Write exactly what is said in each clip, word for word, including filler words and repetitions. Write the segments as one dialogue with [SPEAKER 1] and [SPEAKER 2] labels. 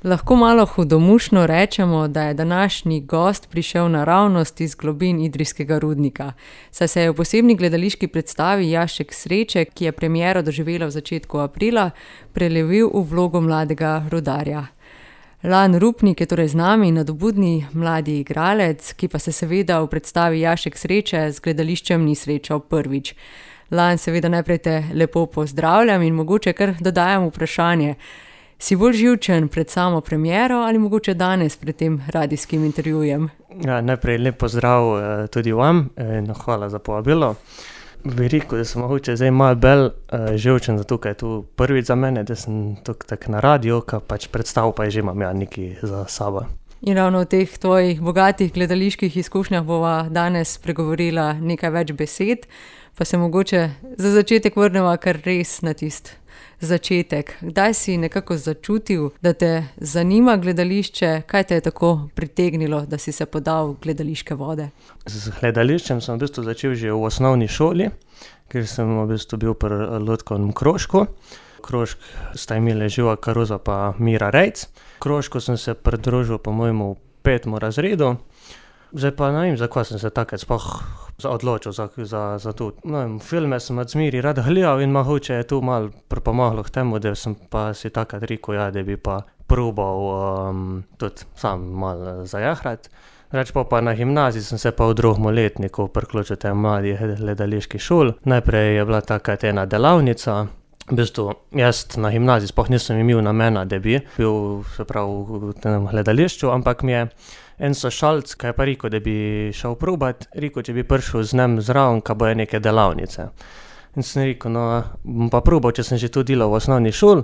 [SPEAKER 1] Lahko malo hudomušno rečemo, da je današnji gost prišel naravnost iz globin idrijskega rudnika, saj se je v posebni gledališki predstavi Jašek sreče, ki je premiero doživela v začetku aprila, prelevil v vlogo mladega rudarja. Lan Rupnik je torej z nami, nadobudni mladi igralec, ki pa se seveda v predstavi Jašek sreče z gledališčem ni srečal prvič. Lan, seveda najprej te lepo pozdravljam in mogoče kar dodajam vprašanje. Si bolj živčen pred samo premiero ali mogoče danes pred tem radijskim intervjujem?
[SPEAKER 2] Ja, najprej lep pozdrav uh, tudi vam in hvala za povabilo. Bi rekel, da sem mogoče zdaj malo bolj uh, živčen, zato ker je tu prvič za mene, da sem tukaj tak na radiju, ka pač predstav pa že imam ja nekaj za sabo.
[SPEAKER 1] In ravno v teh tvojih bogatih gledaliških izkušnjah bova danes pregovorila nekaj več besed, pa se mogoče za začetek vrneva kar res na tist začetek. Kdaj si nekako začutil, da te zanima gledališče? Kaj te je tako pritegnilo, da si se podal v gledališke vode?
[SPEAKER 2] Z gledališčem sem v bistvu začel že v osnovni šoli, ker sem v bistvu bil pri Lutkovnem krožku. Krožk sta imeli Živa Karuza pa Mira Rejc. Krožku sem se pridružil po mojemu petemu razredu. Zdaj pa ne vem, zakaj sem se takrat sploh odločil za, za, za to. No, filme sem od zmeri rad gledal in mogoče je tu malo pripomoglo k temu, da sem pa si takrat rekel, ja, da bi pa probal um, tudi sam malo zajahrati. Reč pa pa na gimnaziji sem se pa v drugem letniku priključil tem mladih gledaliških šol. Najprej je bila takrat ena delavnica. V bistvu, jaz na gimnaziji sploh nisem imel namena, da bi bil se pravi v tem gledališču, ampak mi je en sošolc, ki je pa rekel, da bi šel probat, rekel, če bi prišel z njim zraven, ka bojo neke delavnice. In sem rekel, no, bom pa probal, če sem že tu delal v osnovni šoli.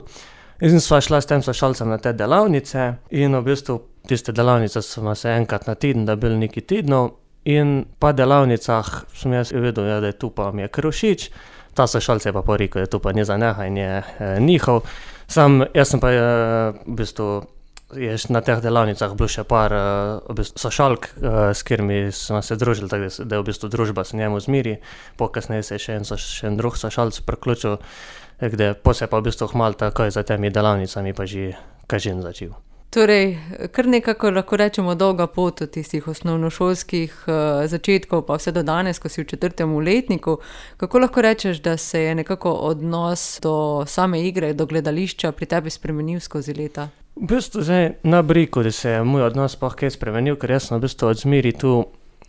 [SPEAKER 2] In sva šla s tem sošolcem na te delavnice in v bistvu tiste delavnice smo se enkrat na teden, da bil neki tednov in pa delavnicah sem jaz vedel, ja, da je tu pa mi je kar všeč. Ta sošolc je pa pa rekel, da tu pa ni za neha in je eh, njihov. Sam, jaz sem pa eh, v bistvu je na teh delavnicah bilo še par uh, v bistvu sošolk, uh, s katerimi smo se družili, tako da, da je v bistvu družba s njemu zmeri. Pokasneje se je še en, so, še en drug sošolc priključil, kde po se pa v bistvu hmal takoj za temi delavnicami pa že kažin začel.
[SPEAKER 1] Torej, kar nekako lahko rečemo dolga pot od tistih osnovnošolskih uh, začetkov pa vse do danes, ko si v četrtem letniku. Kako lahko rečeš, da se je nekako odnos do same igre, do gledališča pri tebi spremenil skozi leta?
[SPEAKER 2] V bistvu zdaj ne bi rekel, da se je moj odnos pa kaj spremenil, ker jaz sem v bistvu od zmeri tu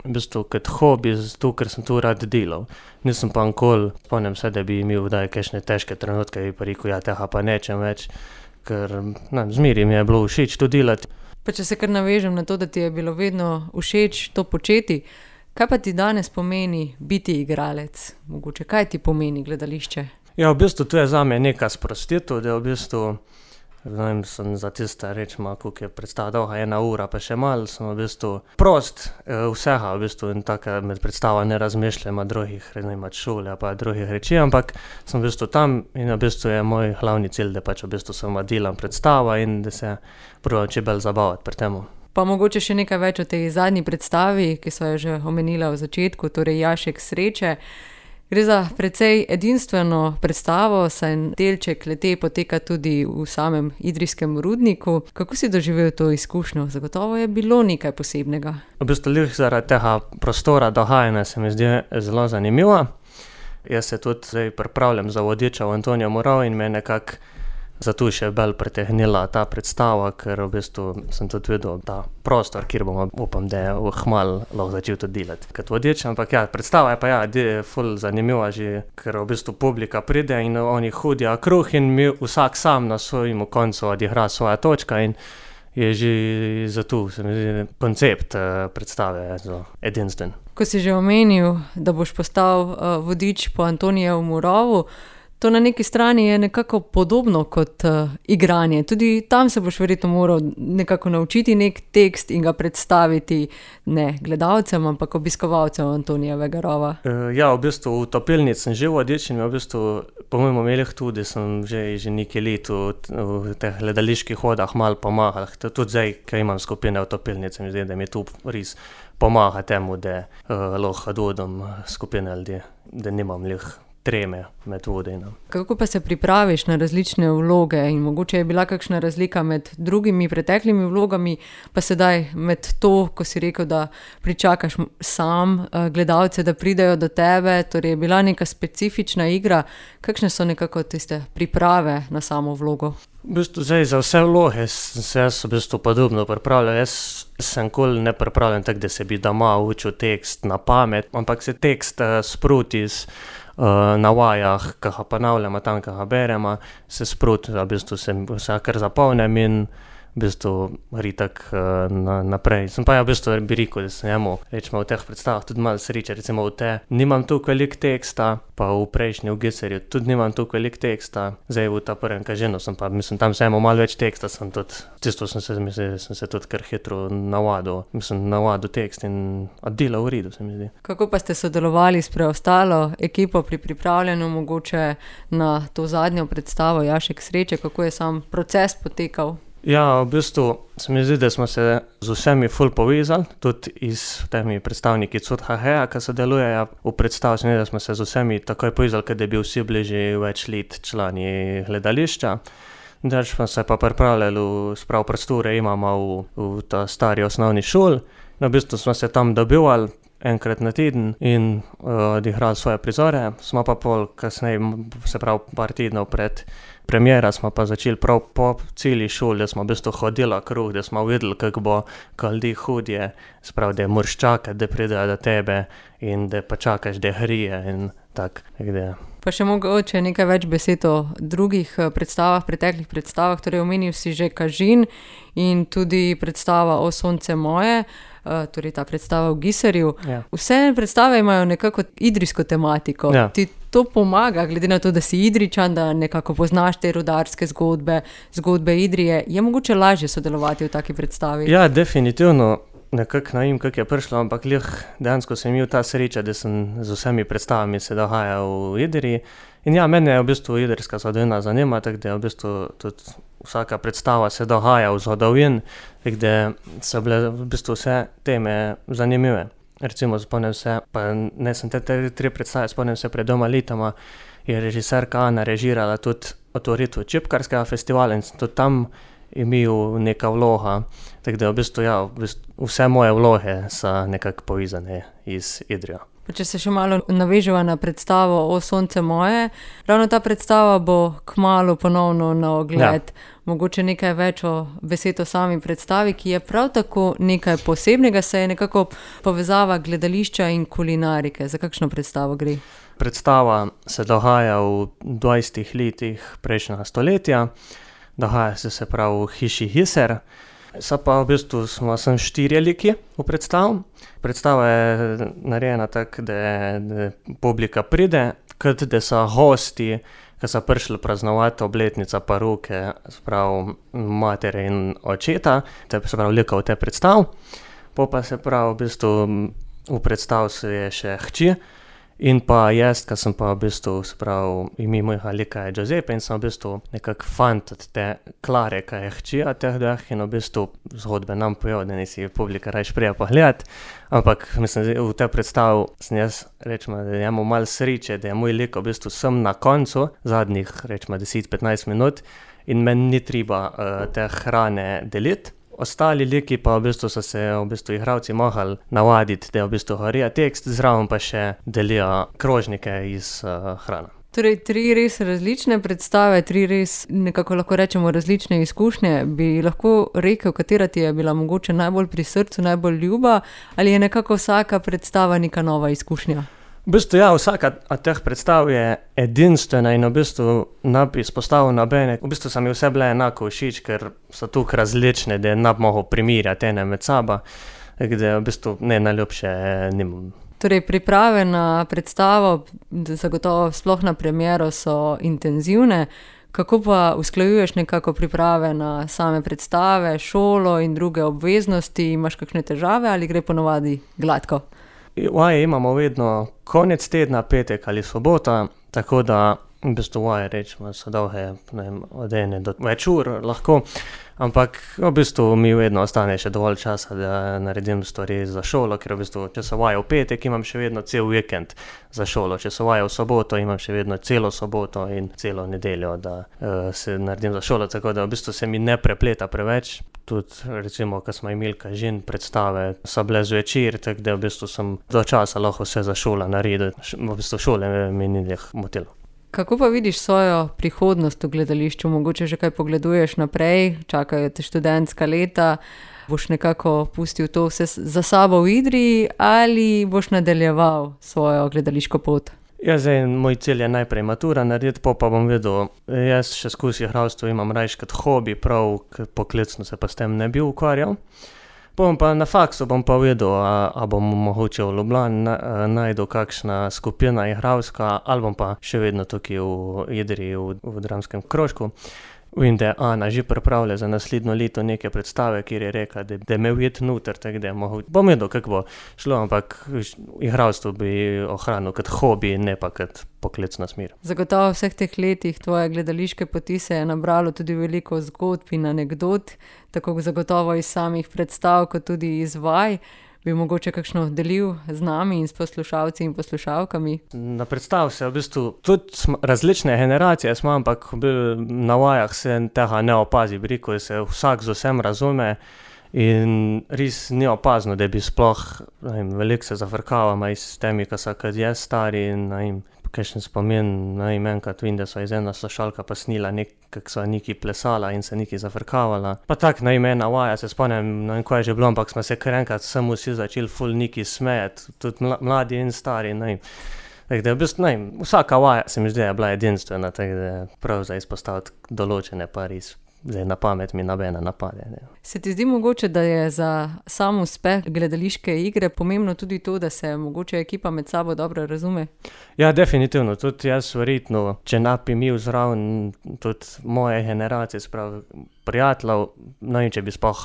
[SPEAKER 2] v bistvu kot hobi, zato ker sem tu rad delal. Nisem pa nikoli, spomnim se, da bi imel kdaj kakšne težke trenutke, bi pa rekel, ja, tega pa nečem več, ker ne, zmeri mi je bilo všeč to delati.
[SPEAKER 1] Pa če se kar navežem na to, da ti je bilo vedno všeč to početi, kaj pa ti danes pomeni biti igralec? Mogoče, kaj ti pomeni gledališče?
[SPEAKER 2] Ja, v bistvu to je zame neka sprostitev, da v bistvu ne vem, sem za tiste rečemo, koliko je predstava dolga, ena ura, pa še malo, sem v bistvu prost eh, vsega, v bistvu in tako med predstava ne razmišljam o drugih, ne vem, od šole pa drugih reči, ampak sem v bistvu tam in v bistvu je moj glavni cilj, da pač v bistvu sem delam predstava in da se probam če bolj zabavati pri temu.
[SPEAKER 1] Pa mogoče še nekaj več o tej zadnji predstavi, ki so jo že omenila v začetku, torej Jašek sreče. Gre za precej edinstveno predstavo, saj delček le-te poteka tudi v samem idrijskem rudniku. Kako si doživel to izkušnjo? Zagotovo je bilo nekaj posebnega.
[SPEAKER 2] V bistvu lih zaradi tega prostora dogajanja se mi zdi zelo zanimivo. Jaz se tudi zdaj pripravljam za vodiča v Antonijo Morav in me nekako zato še bolj pritegnila ta predstava, ker v bistvu sem tudi videl ta prostor, kjer bom upam, da je hmal lahko začel tudi delati kot vodič, ampak ja, predstava je pa ja, je ful zanimiva že, ker v bistvu publika pride in oni hodijo kruh in mi vsak sam na svojemu koncu odigra svoja točka in je že zato, se mi zdi, koncept uh, predstave zelo edinstven.
[SPEAKER 1] Ko si že omenil, da boš postal uh, vodič po Antonijevem Moravu, to na neki strani je nekako podobno kot uh, igranje. Tudi tam se boš verjetno moral nekako naučiti nek tekst in ga predstaviti ne gledalcem, ampak obiskovalcem Antonijevega rova.
[SPEAKER 2] Uh, ja, v bistvu v topilnici sem že vodič in v bistvu po mojem omelih tudi sem že, že nekaj let v, v teh gledaliških hodah malo pomagal. Tudi zdaj, ko imam skupine v topilnici, mi zdi, da mi tu res pomaga temu, da uh, lahko dodam skupine ljudi, da nimam lih treme med vodenjem.
[SPEAKER 1] Kako pa se pripraviš na različne vloge in mogoče je bila kakšna razlika med drugimi preteklimi vlogami, pa sedaj med to, ko si rekel, da pričakaš sam gledalce, da pridejo do tebe, torej je bila neka specifična igra. Kakšne so nekako tiste priprave na samo vlogo?
[SPEAKER 2] V bistvu zdaj za vse vloge sem se jaz v bistvu podobno pripravljal. Jaz sem nikoli ne pripravljen tako, da se bi doma učil tekst na pamet, ampak se tekst uh, sproti iz uh, na vajah, ki ga ponavljamo tam, ki ga beremo, se sproti, v bistvu se vse kar zapomnim in v bistvu ritak uh, na, naprej. Sem pa ja v bistvu bi rekel, da sem jemu, rečemo v teh predstavah tudi malo sreče, recimo v te, nimam toliko veliko teksta, pa v prejšnji v Giserju tudi nimam toliko veliko teksta, zdaj v ta prvem Kažinu sem pa, mislim, tam sem imel malo več teksta, sem tudi, tisto sem se, mislim, sem se tudi kar hitro navadil, mislim, navadil tekst in oddelal v redu, se mi zdi.
[SPEAKER 1] Kako pa ste sodelovali s preostalo ekipo pri pripravljanju mogoče na to zadnjo predstavo Jašek sreče, kako je sam proces potekal?
[SPEAKER 2] Ja, v bistvu se mi zdi, da smo se z vsemi ful povezali, tudi s temi predstavniki C U T H H, ki sodelujejo v predstavi, se mi zdi, da smo se z vsemi takoj povezali, ker je bil vsi bili že več let člani gledališča. Zdaj smo se pa pripravljali, sprav prostore imamo v, v ta stari osnovni šoli, no, v bistvu smo se tam dobivali enkrat na teden in uh, odigrali svoje prizore, smo pa pol kasneje, se pravi par tednov pred premiera, smo pa začeli prav po celi šoli, da smo v bistvu hodili kruh, da smo videli, kako bo, ko ljudi hodje, se pravi, da moraš čakati, da pridejo do tebe in da pa čakaš, da hrije in tak, da.
[SPEAKER 1] Pa še mogoče nekaj več besed o drugih predstavah, preteklih predstavah, torej omenil si že Kažin in tudi predstava O sonce moje, torej ta predstava v Giserju.
[SPEAKER 2] Ja.
[SPEAKER 1] Vse predstave imajo nekako idrijsko tematiko.
[SPEAKER 2] Ja.
[SPEAKER 1] Ti to pomaga, glede na to, da si Idrijčan, da nekako poznaš te rudarske zgodbe, zgodbe Idrije. Je mogoče lažje sodelovati v taki predstavi?
[SPEAKER 2] Ja, definitivno. Nekako ne vem, kako je prišlo, ampak lih dejansko sem imel ta sreča, da sem z vsemi predstavami se dogajal v Idriji. In ja, mene je v bistvu idrijska zgodovina zanima, tako da je v bistvu tudi vsaka predstava se dogaja v zgodovini, tako da so bile v bistvu vse teme zanimive. Recimo spomnim se, pa ne sem te, te tri predstave, spomnim se pred dvoma letoma, je režiserka Ana režirala tudi otvoritev čipkarskega festivala in sem tudi tam imel neka vloga, tako da v bistvu, ja, v bistvu vse moje vloge so nekako povezane iz Idrijo.
[SPEAKER 1] Pa če se še malo naveževa na predstavo O sonce moje, ravno ta predstava bo kmalu ponovno na ogled. Ja. Mogoče nekaj več o besed o sami predstavi, ki je prav tako nekaj posebnega, se je nekako povezava gledališča in kulinarike. Za kakšno predstavo gre?
[SPEAKER 2] Predstava se dogaja v dvajsetih letih prejšnjega stoletja, dogaja se se pravi v hiši Giser. So pa v bistvu smo sem štirje liki v predstavu. Predstava je narejena tako, da, da publika pride, kot da so gosti, ki so prišli praznovati obletnica poruke, se pravi matere in očeta, te se pravi likov te predstav. Po pa se pravi v bistvu v predstav se je še hči in pa jaz, ki sem pa v bistvu, se pravi, ime mojega lika je Giuseppe in sem v bistvu nekak fant od te Klare, ki je hči od teh dveh in v bistvu zgodbe nam pojo, da nisi publika rajš prija pogledati. Ampak mislim, v te predstav sem jaz, rečemo, da imamo malo sreče, da je moj lik v bistvu sem na koncu, zadnjih, rečemo, deset do petnajst minut in meni ni treba uh, te hrane deliti. Ostali liki pa v bistvu so se v bistvu igralci mohli navaditi, da v bistvu gorijo tekst, zraven pa še delijo krožnike iz uh, hrane.
[SPEAKER 1] Torej, tri res različne predstave, tri res nekako lahko rečemo različne izkušnje. Bi lahko rekel, katera ti je bila mogoče najbolj pri srcu, najbolj ljuba, ali je nekako vsaka predstava neka nova izkušnja?
[SPEAKER 2] V bistvu ja, vsaka od teh predstav je edinstvena in v bistvu ne bi izpostavil nobene. V bistvu so mi vse bile enako všeč, ker so tukaj različne, da ne bi mogel primerjati ene med sabo, da v bistvu ne najljubše nimam.
[SPEAKER 1] Torej, priprave na predstavo, zagotovo sploh na premiero, so intenzivne. Kako pa usklajuješ nekako priprave na same predstave, šolo in druge obveznosti? Imaš kakšne težave ali gre ponovadi gladko?
[SPEAKER 2] Vaje imamo vedno konec tedna, petek ali sobota, tako da v bistvu vaje rečemo, so dolge, ne vem, od ene do več ur lahko, ampak v bistvu mi vedno ostane še dovolj časa, da naredim stvari za šolo, ker v bistvu, če so vaje v petek, imam še vedno cel vikend za šolo, če so vaje v soboto, imam še vedno celo soboto in celo nedeljo, da uh, se naredim za šolo, tako da v bistvu se mi ne prepleta preveč. Tudi recimo, ko smo imeli kažin predstave, so bile zvečer, tako da v bistvu sem do časa lahko vse za šolo naredil, v bistvu šole mi ni njih motilo.
[SPEAKER 1] Kako pa vidiš svojo prihodnost v gledališču? Mogoče že kaj pogleduješ naprej, čakajo te študentska leta, boš nekako pustil to vse za sabo v Idriji ali boš nadaljeval svojo gledališko pot?
[SPEAKER 2] Ja, zdaj, moj cilj je najprej matura narediti, po pa bom vedel, jaz še skozi igralstvo imam rajš kot hobi, prav poklicno se pa s tem ne bi ukvarjal. Bom pa na faksu bom pa vedel, a, a bom mogoče v Ljubljani na, najdel kakšna skupina igralska, ali bom pa še vedno tukaj v Idriji, v, v dramskem krožku. Vem, da je Ana že pripravlja za naslednjo leto neke predstave, kjer je rekla, da, da me ujeti noter, tako da mogo, bom vedel, kako bo šlo, ampak igralstvo bi ohranil kot hobi, ne pa kot poklicna smer.
[SPEAKER 1] Zagotovo v vseh teh letih tvoje gledališke poti se je nabralo tudi veliko zgodb in anekdot, tako zagotovo iz samih predstav, kot tudi iz vaj. Bi mogoče kakšno delil z nami in s poslušalci in poslušalkami?
[SPEAKER 2] Na predstav se v bistvu tudi sm, različne generacije smo, ampak na vajah se tega ne opazi, bi rekel, se vsak z vsem razume in res ni opazno, da bi sploh, ne vem, veliko se zafrkavamo s temi, ki so kot jaz stari in ne vem, kakšen spomin, ne vem, enkrat vem, da so iz ena slušalka pa snila nek, kak so neki plesala in se neki zafrkavala. Pa tak, ne vem, ena vaja, se spomnim, ne vem, kaj je že bilo, ampak smo se kar enkrat sem vsi začeli ful neki smejati, tudi mladi in stari, ne vem. Tako da v bistvu, ne vem, vsaka vaja se mi zdi, je bila edinstvena, tako da prav za izpostaviti določene pa res. Zdaj na pamet mi nobena napade. Ne.
[SPEAKER 1] Se ti zdi mogoče, da je za sam uspeh gledališke igre pomembno tudi to, da se mogoče ekipa med sabo dobro razume?
[SPEAKER 2] Ja, definitivno. Tudi jaz verjetno, če ne bi imel zraven tudi moje generacije, sprav prijateljev, ne vem, če bi sploh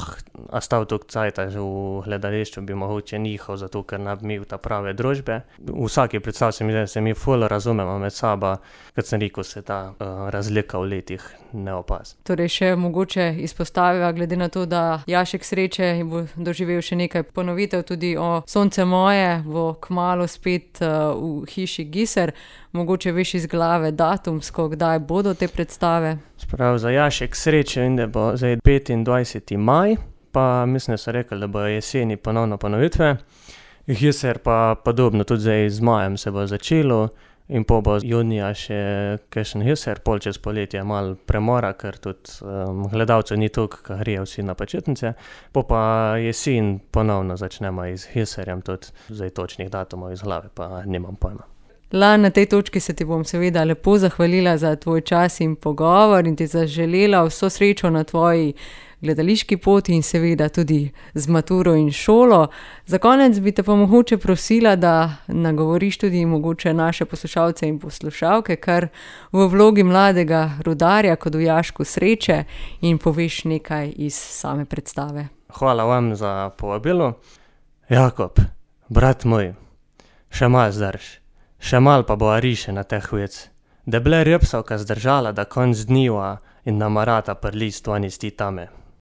[SPEAKER 2] ostal toliko cajta že v gledališču, bi mogoče njihov, zato ker ne bi imel ta prave družbe. V vsaki predstav se mi zdi, da se mi ful razumemo med sabo, kot sem rekel, se ta uh, razlika v letih ne opazi.
[SPEAKER 1] Torej še mogoče izpostaviva, glede na to, da Jašek Sreče bo doživel še nekaj ponovitev tudi o Sonce moje, bo kmalu spet uh, v hiši Giser. Mogoče veš iz glave datumsko, kdaj bodo te predstave?
[SPEAKER 2] Sprav za Jašek Sreče in da bo zdaj petindvajseti maj, pa mislim, da so rekli, da bo jeseni ponovno ponovitve. Giser pa podobno, tudi zdaj z majem se bo začelo. In po bo junija še kakšen Giser, pol čez poletje malo premora, ker tudi um, gledalcev ni toliko, ki grejo vsi na počitnice. Po pa jesen ponovno začnemo iz Giserjem, tudi zdaj točnih datumov iz glave, pa nimam pojma.
[SPEAKER 1] Lan, na tej točki se ti bom seveda lepo zahvalila za tvoj čas in pogovor in ti zaželela vso srečo na tvoji gledališki poti in seveda tudi z maturo in šolo. Za konec bi te pa mogoče prosila, da nagovoriš tudi mogoče naše poslušalce in poslušalke, kar v vlogi mladega rudarja kot v Jašku Sreče in poveš nekaj iz same predstave.
[SPEAKER 2] Hvala vam za povabilo. Jakob, brat moj, še mal zdrž, še mal pa bo ariše na teh vec. Da ble rjepsavka zdržala, da konc dniva in namarata prlist vani sti tame.